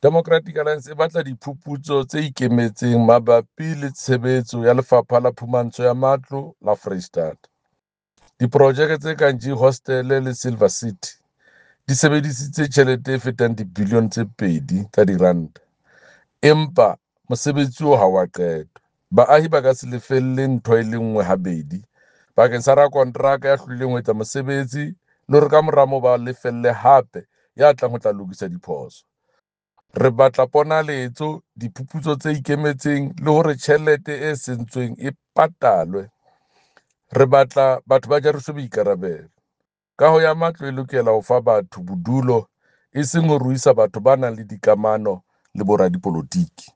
Democratic Alliance e batla diphuputso tse ikemetseng mabapi le tshebetso ya Lefapha la Phumantsho ya Matlo la Foreisetata. Diprojeke tse kang G-Hostele le Silver City di sebedisitse tjhelete e fetang dibilione tse 2 tsa diranta, empa mosebetsi ha o a qetwa. Baahi ba ka se lefelle ntho e le nngwe habedi bakeng sa rakonteraka ya hlolehileng ho etsa mosebetsi le hore kamora moo ba lefelle hape ya tlang ho tla lokisa diphoso. Re batla ponaletso, diphuputso tse ikemetseng le hore tjhelete e sentsweng e patalwe. Re batla batho ba jariswe boikarabelo. Kaho ya matlo e lokela ho fa batho bodulo, eseng ho ruisa batho ba nang le dikamano le boradipolotiki.